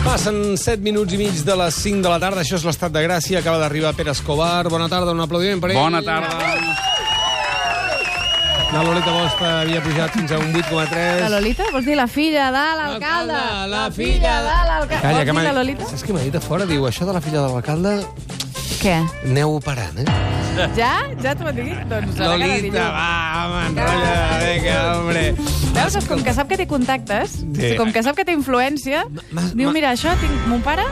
Passen 7 minuts i mig de les 5 de la tarda. Això és l'Estat de Gràcia. Acaba d'arribar Pere Escobar. Bona tarda, un aplaudiment per ell. Bona tarda. La Lolita Bosch havia pujat fins a un 8,3. La Lolita? Vols dir la filla de l'alcalde? La filla de l'alcalde. Calla, Vols dir la Lolita? Saps què m'ha dit a fora? Diu, això de la filla de l'alcalde... Què? Aneu operant, Ja? Ja t'ho han dit? Doncs Lolita, va, home, enrotlla. Vinga, hombre. Veus? Com que sap que té contactes, Sí. com que sap que té influència, diu, mira, això, tinc mon pare...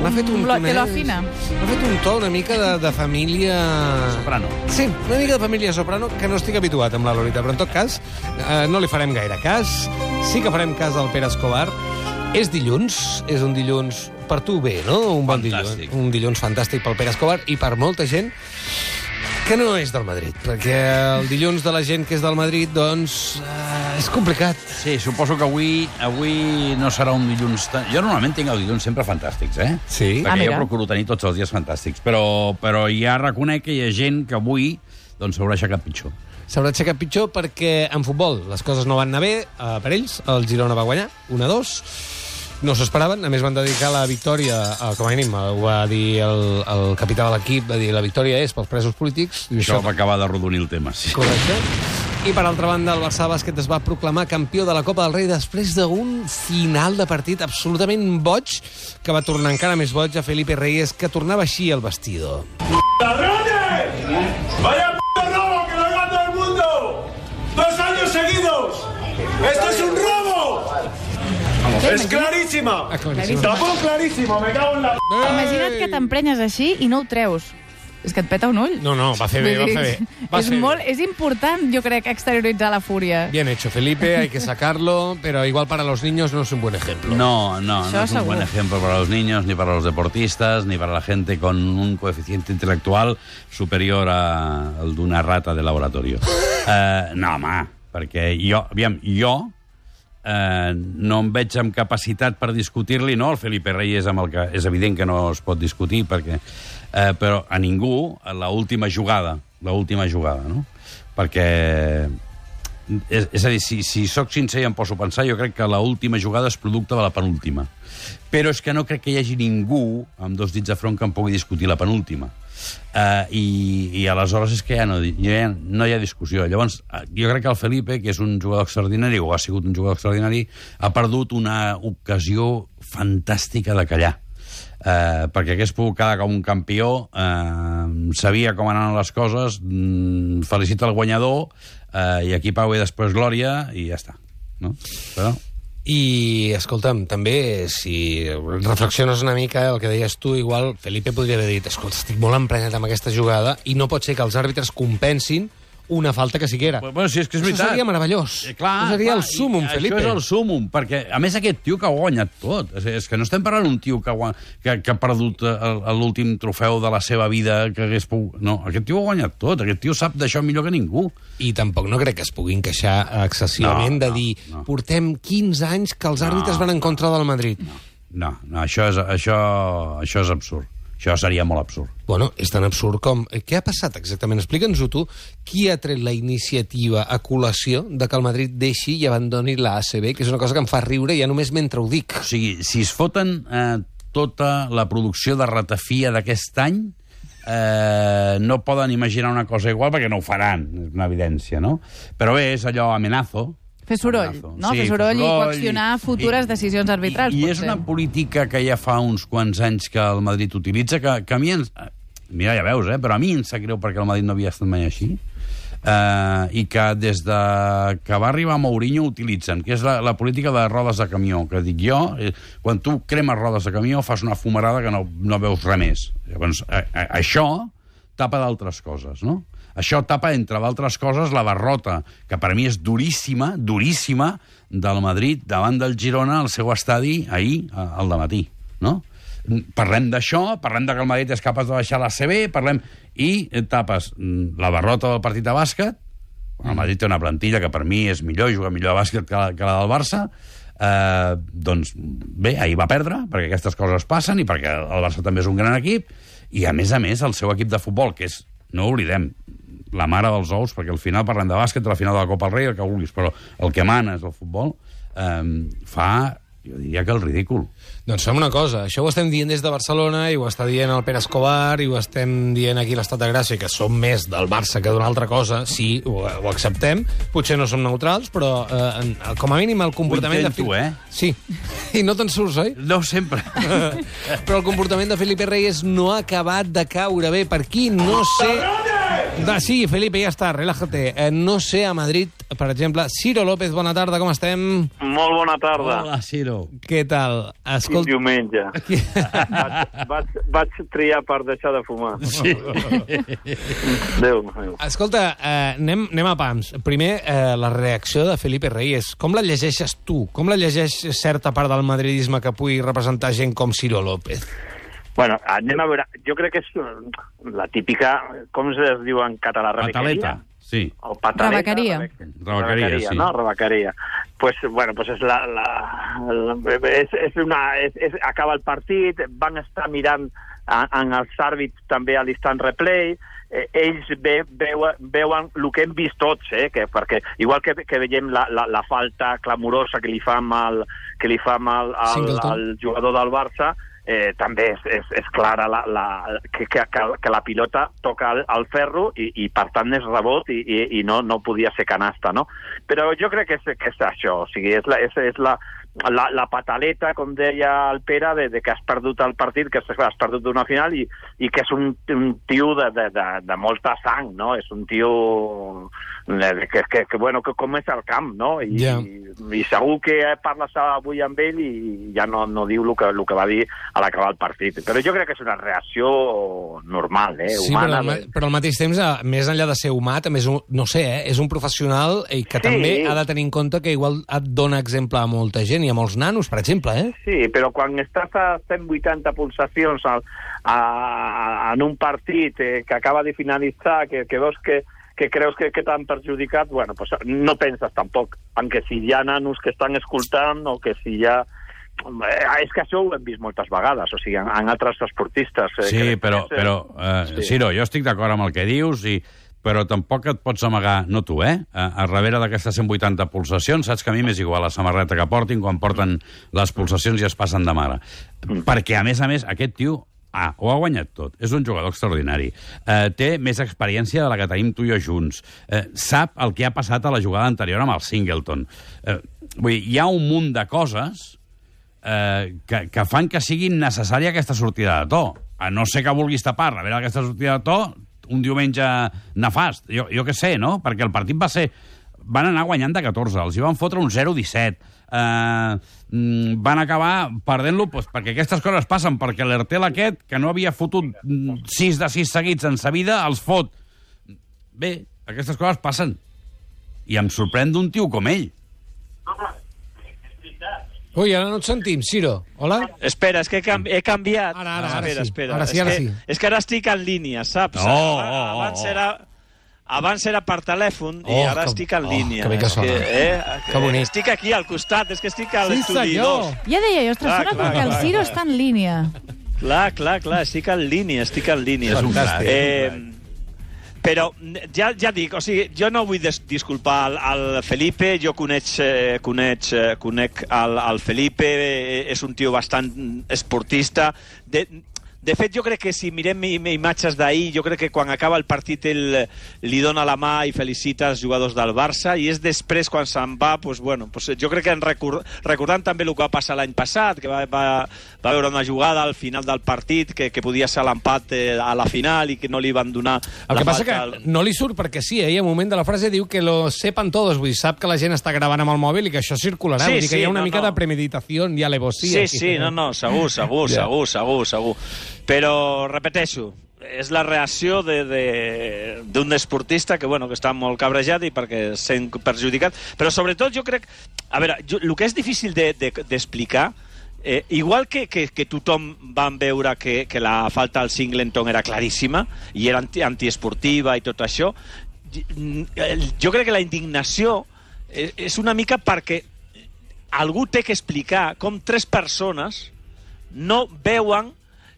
M'ha fet un Te lo afina. M'ha fet un to una mica de família... Soprano. Sí, una mica de família soprano, que no estic habituat amb la Lolita, però en tot cas no li farem gaire cas. Sí que farem cas al Pere Escobar. És dilluns, és un dilluns per tu bé, no? Un bon Fantàstic. dilluns. Un dilluns fantàstic pel Pere Escobar i per molta gent que no és del Madrid, perquè el dilluns de la gent que és del Madrid, doncs, és complicat. Sí, suposo que avui no serà un dilluns... Jo normalment tinc els dilluns sempre fantàstics, Sí. Perquè jo mira. procuro tenir tots els dies fantàstics. Però ja reconec que hi ha gent que avui doncs s'haurà aixecat pitjor. S'haurà aixecat pitjor perquè en futbol les coses no van anar bé per ells. El Girona va guanyar 1-2. No s'esperaven, a més van dedicar la victòria, com a mínim, ho va dir el capità de l'equip, va dir la victòria és pels presos polítics. I Això va acabar de rodonir el tema, sí. Correcte. I per altra banda, el Barça Bàsquet es va proclamar campió de la Copa del Rei després d'un final de partit absolutament boig, que va tornar encara més boig a Felipe Reyes, que tornava així al vestidor. ¡Ladrones! ¡Vaya p*** robo que lo haga todo el mundo! ¡2 años seguidos! ¡Esto es un robo! ¡Es clarísima! ¡Tampoco clarísimo! ¡Me cago en la p***! Imagina't que t'emprenyes així i no ho treus. És que et peta un ull. No, va fer bé, va fer bé. És important, jo crec, exterioritzar la fúria. Bien hecho, Felipe, hay que sacarlo, pero igual para los niños no es un buen ejemplo. No Això es un buen segur. ejemplo para los niños, ni para los deportistas, ni para la gente con un coeficiente intelectual superior al d'una rata de laboratorio. No, home, perquè jo no em veig amb capacitat per discutir-li, no? El Felipe Reyes, amb el que és evident que no es pot discutir, perquè, però a ningú, l'última jugada, no? Perquè... És a dir, si sóc sincer i em poso a pensar, jo crec que l'última jugada és producte de la penúltima. Però és que no crec que hi hagi ningú amb 2 dits de front que em pugui discutir la penúltima. I aleshores és que ja no hi ha discussió. Llavors, jo crec que el Felipe, que és un jugador extraordinari, o ha sigut un jugador extraordinari, ha perdut una ocasió fantàstica de callar. Perquè hagués pogut quedar com un campió, sabia com anaven les coses, felicita el guanyador, i aquí pau i després glòria, i ja està. No? Però... I, escolta'm, també, si reflexiones una mica el que deies tu, igual Felipe podria haver dit, escolta, estic molt emprenyat amb aquesta jugada i no pot ser que els àrbitres compensin una falta que siquiera. Bueno, sí, és que és veritat. Això seria meravellós. Clar, seria el súmum, Felipe. Això és el súmum, perquè, a més, aquest tio que ha guanyat tot. És que no estem parlant d'un tio que ha perdut l'últim trofeu de la seva vida, que hagués pogut... No, aquest tio ha guanyat tot. Aquest tio sap d'això millor que ningú. I tampoc no crec que es puguin queixar excessivament de dir portem 15 anys que els àrbitres van en contra del Madrid. No, això és absurd. Això seria molt absurd. Bueno, és tan absurd com... Què ha passat exactament? Explica'ns-ho tu. Qui ha tret la iniciativa a col·lació de que el Madrid deixi i abandoni la ACB, que és una cosa que em fa riure ja només mentre ho dic. O sigui, si es foten tota la producció de ratafia d'aquest any, no poden imaginar una cosa igual perquè no ho faran, és una evidència, no? Però bé, és allò amenazo. Fer soroll, no? Sí, Fer soroll i coaccionar futures decisions arbitrals. I és una política que ja fa uns quants anys que el Madrid utilitza, que a mi ens... Mira, ja veus, però a mi em sap greu perquè el Madrid no havia estat mai així. I que des de que va arribar Mourinho utilitzen, que és la política de rodes de camió, que dic jo, quan tu cremes rodes de camió fas una fumarada que no veus res més. Llavors, això tapa d'altres coses, no? Això tapa, entre d'altres coses, la derrota, que per mi és duríssima, duríssima, del Madrid davant del Girona al seu estadi ahir, al dematí, no? Parlem d'això, parlem de que el Madrid és capaç de baixar l'ACB, parlem... I tapes la derrota del partit de bàsquet, el Madrid té una plantilla que per mi és millor, juga millor a bàsquet que la del Barça, doncs bé, ahir va perdre, perquè aquestes coses passen i perquè el Barça també és un gran equip, i a més, el seu equip de futbol, que és, no ho oblidem, la mare dels ous, perquè al final parlem de bàsquet, de la final de la Copa del Rei, el que vulguis, però el que mana és el futbol, fa Jo diria que el ridícul. Doncs fem una cosa, això ho estem dient des de Barcelona i ho està dient el Pere Escobar i ho estem dient aquí a l'Estat de Gràcia, que som més del Barça que d'una altra cosa, sí, ho acceptem, potser no som neutrals, però com a mínim el comportament... Ho intento, Sí, i no te'n surts, oi? No sempre. Però el comportament de Felipe Reyes no ha acabat de caure bé. Per aquí no sé... Sí, Felipe, ja està, relájate. No sé, a Madrid, per exemple... Ciro López, bona tarda, com estem? Molt bona tarda. Hola, Ciro. Què tal? Quin diumenge. Vaig triar per deixar de fumar. Sí. Déu. Escolta, anem a pams. Primer, la reacció de Felipe Reyes. Com la llegeixes tu? Com la llegeix certa part del madridisme que pugui representar gent com Ciro López? Bueno, anem a veure. Jo crec que és la típica, com es diu en català? Pataleta, sí. O pataleta. Rebequeria, sí. No? Rebequeria. Pues és acaba el partit, van estar mirant en els àrbits també a l'instant replay, ells veuen el que hem vist tots, perquè igual que veiem la falta clamorosa que li fa al jugador del Barça, també és clara que la pilota toca el ferro i per tant és rebot i no podia ser canasta, no? Però jo crec que és això, o sigui, és la pataleta, com deia el Pere, de que has perdut el partit, que has perdut una final i que és un tio de molta sang, no? És un tio que com és el camp, no? I segur que parles avui amb ell i ja no diu el que va dir a l'acabar el partit. Però jo crec que és una reacció normal, humana. Sí, però al mateix temps, més enllà de ser humà, també és és un professional i que també ha de tenir en compte que igual et dona exemple a molta gent i a molts nanos, per exemple, Sí, però quan estàs a 180 pulsacions en un partit que acaba de finalitzar, que veus que creus que t'han perjudicat, bueno, pues no penses tampoc en que si hi ha nanos que estan escoltant o que si hi ha... És que això ho hem vist moltes vegades, o sigui, en altres esportistes. Sí, però Ciro, jo estic d'acord amb el que dius, però tampoc et pots amagar, no tu, a darrere d'aquestes 180 pulsacions, saps que a mi m'és igual la samarreta que portin quan porten les pulsacions i es passen de mare. Perquè, a més, aquest tio ho ha guanyat tot. És un jugador extraordinari. Té més experiència de la que tenim tu i jo junts. Sap el que ha passat a la jugada anterior amb el Singleton. Vull dir, hi ha un munt de coses que fan que siguin necessària aquesta sortida de to. A no ser que vulguis tapar darrere aquesta sortida de to un diumenge nefast. Jo què sé, no? Perquè el partit va ser... Van anar guanyant de 14, els hi van fotre un 0-17. Van acabar perdent-lo perquè aquestes coses passen, perquè l'Hertel aquest, que no havia fotut 6 de 6 seguits en sa vida, els fot. Bé, aquestes coses passen. I em sorprèn d'un tio com ell. Ui, ara no et sentim, Ciro. Hola? Espera, és que he canviat. Ara sí. Espera. Ara sí. És que ara estic en línia, saps? Abans era per telèfon i ara estic en línia. Que bé que sona. Que bonic. Estic aquí al costat, és que estic a l'estudi 2. Ja deia jo, ostres, sona com que el Ciro està en línia. Clar, estic en línia. És un fantàstic. Però ja dic, o sigui, jo no vull disculpar el Felipe, jo conec el Felipe, és un tio bastant esportista. De fet, jo crec que si mirem imatges d'ahir, jo crec que quan acaba el partit ell li dona la mà i felicita els jugadors del Barça, i és després, quan se'n va, jo crec que recordant també el que va passar l'any passat, que va veure una jugada al final del partit que podia ser l'empat a la final i que no li van donar la falta. El que passa que no li surt perquè sí, i al moment de la frase diu que lo sepan todos, vull dir, sap que la gent està gravant amb el mòbil i que això circularà, vull dir que hi ha una mica de premeditació i alevosía. Sí, segur. Però, repeteixo, és la reacció d'un esportista que està molt cabrejat i perquè sent perjudicat. Però, sobretot, jo crec... A veure, el que és difícil d'explicar, igual que tothom van veure que la falta al Singleton era claríssima i era antiesportiva i tot això, jo crec que la indignació és una mica perquè algú té que explicar com 3 persones no veuen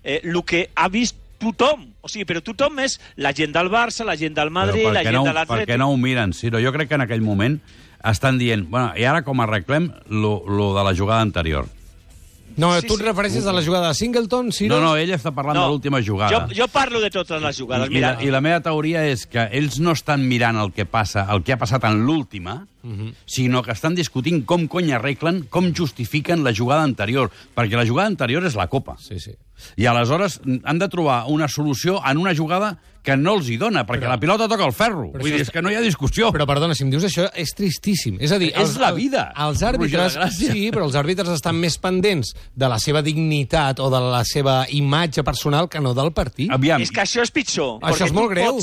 el que ha vist tothom. O sigui, però tothom és la gent del Barça, la gent del Madrid, la gent de l'Atlètic. Per què no ho miren, Ciro? Jo crec que en aquell moment estan dient, bueno, i ara com arreglem lo de la jugada anterior? No, tu et refereixes a la jugada de Singleton, Ciro? No, ell està parlant de l'última jugada. Jo parlo de totes les jugades. I la meva teoria és que ells no estan mirant el que ha passat en l'última, sinó que estan discutint com cony arreglen, com justifiquen la jugada anterior, perquè la jugada anterior és la Copa. Sí, sí. I aleshores han de trobar una solució en una jugada que no els hi dona, perquè la pilota toca el ferro. Vull dir, és que no hi ha discussió. Però, perdona, si em dius això, és tristíssim. És a dir, és la vida. Els àrbitres, sí, però els àrbitres estan més pendents de la seva dignitat o de la seva imatge personal que no del partit. Aviam. És que això és pitjor. Això és molt greu.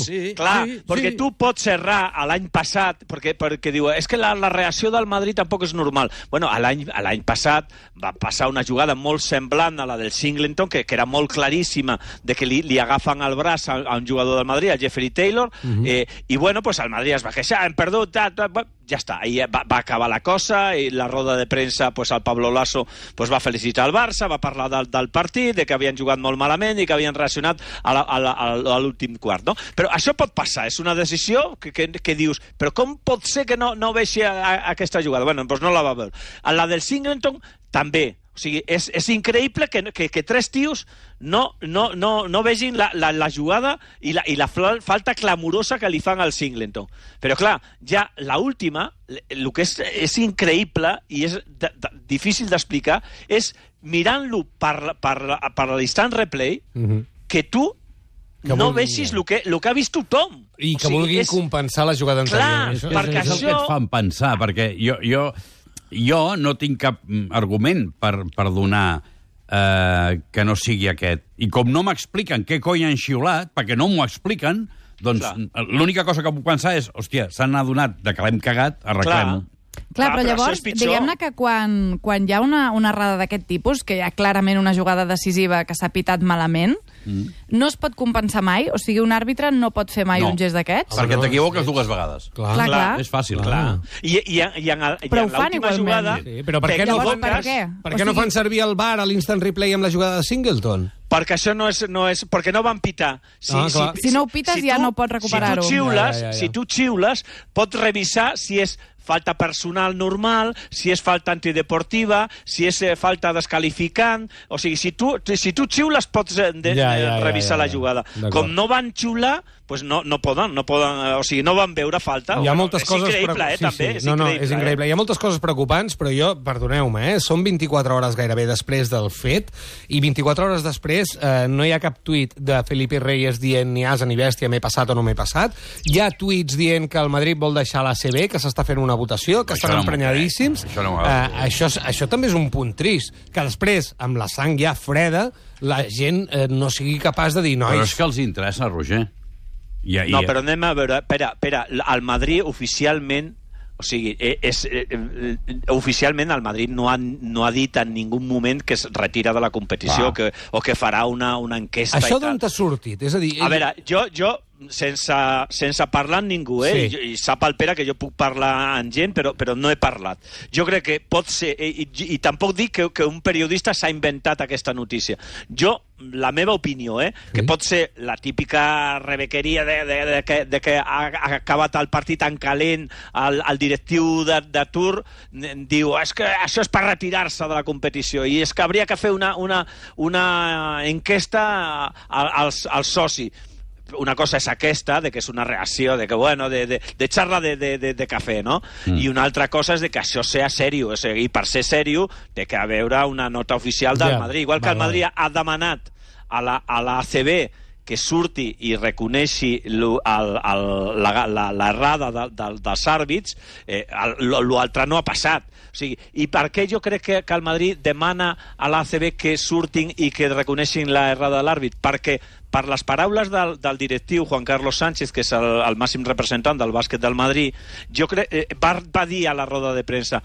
Perquè tu pots errar l'any passat, perquè diu, és que la reacció del Madrid tampoc és normal. Bueno, l'any passat va passar una jugada molt semblant a la del Singleton, que era molt claríssima, de que li agafen el braç a un jugador del Madrid, a Jeffrey Taylor, i bueno, pues el Madrid es va queixar, hem perdut, ja està, ahí va acabar la cosa, i la roda de premsa, pues el Pablo Lasso pues va felicitar el Barça, va parlar del partit, de que havien jugat molt malament i que havien reaccionat a l'últim quart, no? Però això pot passar, és una decisió que dius, però com pot ser que no vegi aquesta jugada? Bueno, doncs no la va veure. A la del Singleton, també. O sigui, és increïble que tres tios no vegin la jugada i la falta clamorosa que li fan al Singleton. Però, clar, ja l'última, el que és increïble i és difícil d'explicar, és mirant-lo per l'instant replay, que tu no vegis el que ha vist tothom. I que vulguin compensar la jugada anterior. Clar, perquè això... És el que et fan pensar, perquè jo no tinc cap argument per donar que no sigui aquest. I com no m'expliquen què cony han xiulat, perquè no m'ho expliquen, doncs l'única cosa que puc pensar és, hòstia, s'han adonat de que l'hem cagat, arreglem-ho. Clar, però llavors, diguem-ne que quan hi ha una errada d'aquest tipus, que hi ha clarament una jugada decisiva que s'ha pitat malament, no es pot compensar mai? O sigui, un àrbitre no pot fer mai un gest d'aquests? Perquè t'equivoques dues vegades. Clar. És fàcil. Però ho fan igualment. Però per què no fan servir el VAR a l'instant replay amb la jugada de Singleton? Perquè això no és perquè no van pitar. Si no ho pites ja no pots recuperar-ho. Si tu xiules, pots revisar si és falta personal normal, si és falta antideportiva, si és falta descalificant. O sigui, si tu xiules pots revisar la jugada. Com no van xiular, pues no poden, o sigui, no van veure falta. Hi ha moltes coses... És increïble, també. És increïble. Hi ha moltes coses preocupants, però jo, perdoneu-me, són 24 hores gairebé després del fet, i 24 hores després no hi ha cap tuit de Felipe Reyes dient ni asa ni bèstia, m'he passat o no m'he passat. Hi ha tuits dient que el Madrid vol deixar l'ACB, que s'està fent una votació, que estan emprenyadíssims. Això també és un punt trist, que després, amb la sang ja freda, la gent no sigui capaç de dir... Però és que els interessa, Roger. No, però anem a veure... Espera, el Madrid oficialment... O sigui, oficialment el Madrid no ha dit en ningú moment que es retira de la competició o que farà una enquesta. Això d'on t'ha sortit? És a dir... A veure, jo sense parlar amb ningú, i sap el Pere que jo puc parlar amb gent, però no he parlat. Jo crec que pot ser, i tampoc dic que un periodista s'ha inventat aquesta notícia. La meva opinió, que pot ser la típica rebequeria de que ha acabat el partit en calent, el directiu de Tour diu, és que això és per retirar-se de la competició, i és que hauria que fer una enquesta als socis. Una cosa és aquesta, de que és una reacció, de que, bueno, de xarra de cafè, no? I una altra cosa és de que això sea sèrio, i per ser sèrio té que haver una nota oficial del Madrid. Igual que el Madrid ha demanat a l'ACB que surti i reconeixi l'errada dels àrbits, l'altre no ha passat. O sigui, i per què jo crec que el Madrid demana a l'ACB que surtin i que reconeixin l'errada de l'àrbit? Perquè per les paraules del directiu Juan Carlos Sánchez, que és el màxim representant del bàsquet del Madrid, jo crec va dir a la roda de premsa,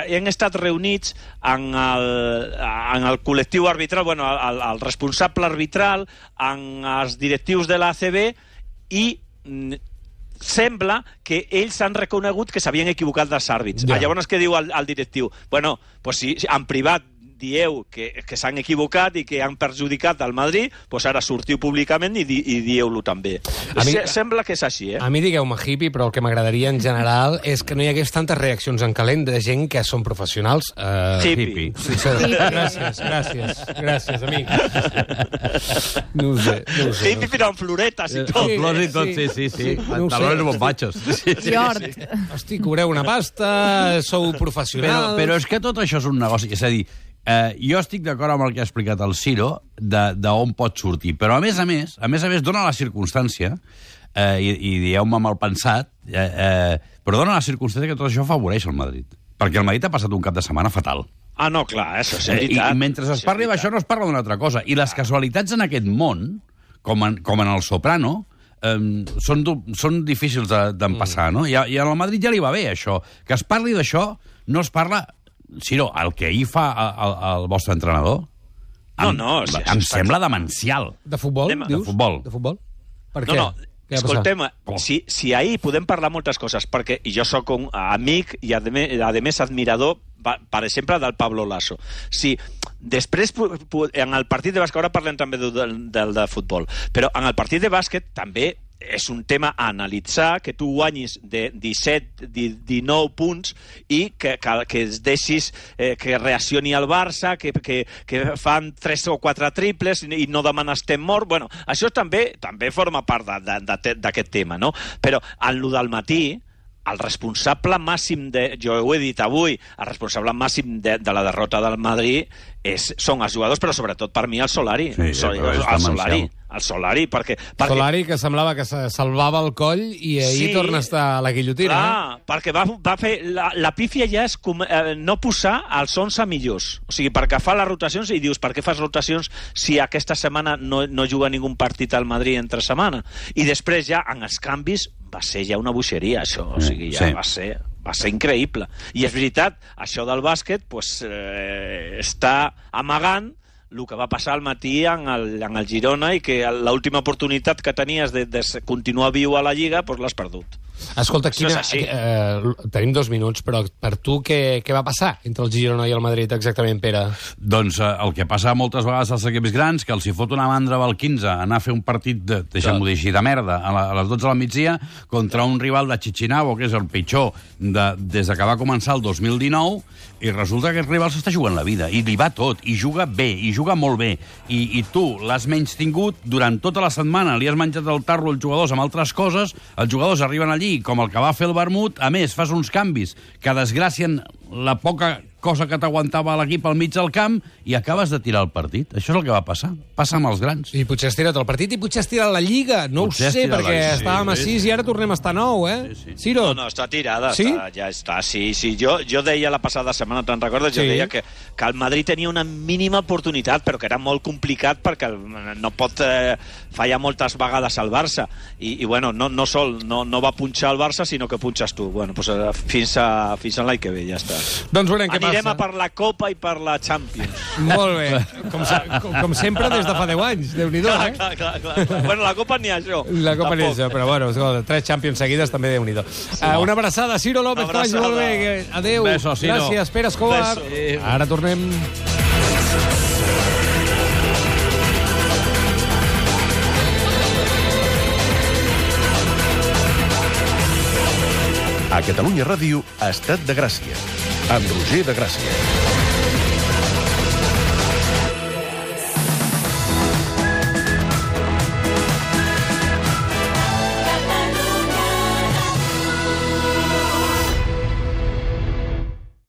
hem estat reunits en el col·lectiu arbitral, bueno, el responsable arbitral, en els directius de l'ACB, i sembla que ells han reconegut que s'havien equivocat dels àrbits. Llavors què diu el directiu? Bueno, pues sí, en privat dieu que s'han equivocat i que han perjudicat al Madrid, doncs ara sortiu públicament i dieu-lo també. Sembla que és així, A mi digueu-me hippie, però el que m'agradaria en general és que no hi hagués tantes reaccions en calent de gent que són professionals. Hippie. Sí, gràcies, amic. No ho sé. Hippie però amb floretes i tot. Flors i tot, sí. Pantalones bombachos. Jord. Hosti, cobreu una pasta, sou professionals... Però és que tot això és un negoci. És a dir, jo estic d'acord amb el que ha explicat el Ciro d'on pot sortir, però a més a més, dona la circumstància, i dieu-me mal pensat, però dona la circumstància que tot això afavoreix el Madrid. Perquè el Madrid ha passat un cap de setmana fatal. Ah, no, clar, això és veritat. I mentre es parli d'això no es parla d'una altra cosa. I les casualitats en aquest món, com en el Soprano, són difícils d'empassar, no? I al Madrid ja li va bé, això. Que es parli d'això, no es parla... Ciro, el que ahir fa el vostre entrenador... Em sembla demencial. De futbol, dius? De futbol. Per què? No, escoltem, si ahir podem parlar moltes coses, perquè jo sóc un amic i, a més, admirador, per exemple, del Pablo Lasso. Si després, en el partit de bàsquet, ara parlem també del de futbol, però en el partit de bàsquet també és un tema a analitzar, que tu guanyis de 17, 19 punts i que es deixis que reaccioni el Barça, que fan 3 o 4 triples i no demanes temps mort. Bueno, això també forma part d'aquest tema, no? Però en lo del matí, el responsable màxim jo ho he dit avui, el responsable màxim de la derrota del Madrid són els jugadors, però sobretot per mi el Solari. El Solari, perquè... Solari, que semblava que se salvava el coll i ahir torna a estar a la guillotina. Clar, perquè va fer... La pífia ja és no posar els 11 millors. O sigui, perquè fa les rotacions i dius, per què fas rotacions si aquesta setmana no juga ningú partit al Madrid entre setmana? I després ja, en els canvis, va ser ja una boixeria, això. O sigui, ja va ser increïble. I és veritat, això del bàsquet està amagant el que va passar al matí en el Girona i que l'última oportunitat que tenies de continuar viu a la Lliga, doncs l'has perdut. Escolta, tenim 2 minuts, però per tu què va passar entre el Girona i el Madrid exactament, Pere? Doncs el que passa moltes vegades als equips grans, que els hi fot una mandra al 15 anar a fer un partit, deixem-ho dir així, de merda, a les 12 del migdia, contra un rival de Chichinabo, que és el pitjor des que va començar el 2019, i resulta que aquest rival s'està jugant la vida, i li va tot, i juga bé, i juga molt bé, i tu l'has menys tingut durant tota la setmana, li has menjat el tarro als jugadors amb altres coses, els jugadors arriben allí com el que va fer el vermut, a més, fas uns canvis que desgracien la poca cosa que t'aguantava l'equip al mig del camp i acabes de tirar el partit. Això és el que va passar. Passa amb els grans. I potser has tirat el partit i potser has tirat la Lliga. No ho sé, perquè estàvem a 6 i ara tornem a estar a 9, eh? Ciro? No, està tirada. Sí? Ja està, sí. Jo deia la passada setmana, te'n recordes? Jo deia que el Madrid tenia una mínima oportunitat, però que era molt complicat perquè no pot fallar moltes vegades al Barça. I bueno, no va punxar el Barça, sinó que punxes tu. Bueno, doncs fins a l'any que ve, ja està. Doncs veurem què passa. Anirem a per la Copa i per la Champions. Molt bé. Com sempre des de fa 10 anys. Déu-n'hi-do, eh? Clar. Bueno, la Copa n'hi ha això. La Copa n'hi ha això, però bueno, 3 Champions seguides també Déu-n'hi-do. Una abraçada, Ciro López, que vagi molt bé. Adéu. Gràcies, Pere Escobar. Ara tornem. A Catalunya Ràdio, Estat de Gràcia, amb Roger de Gràcia.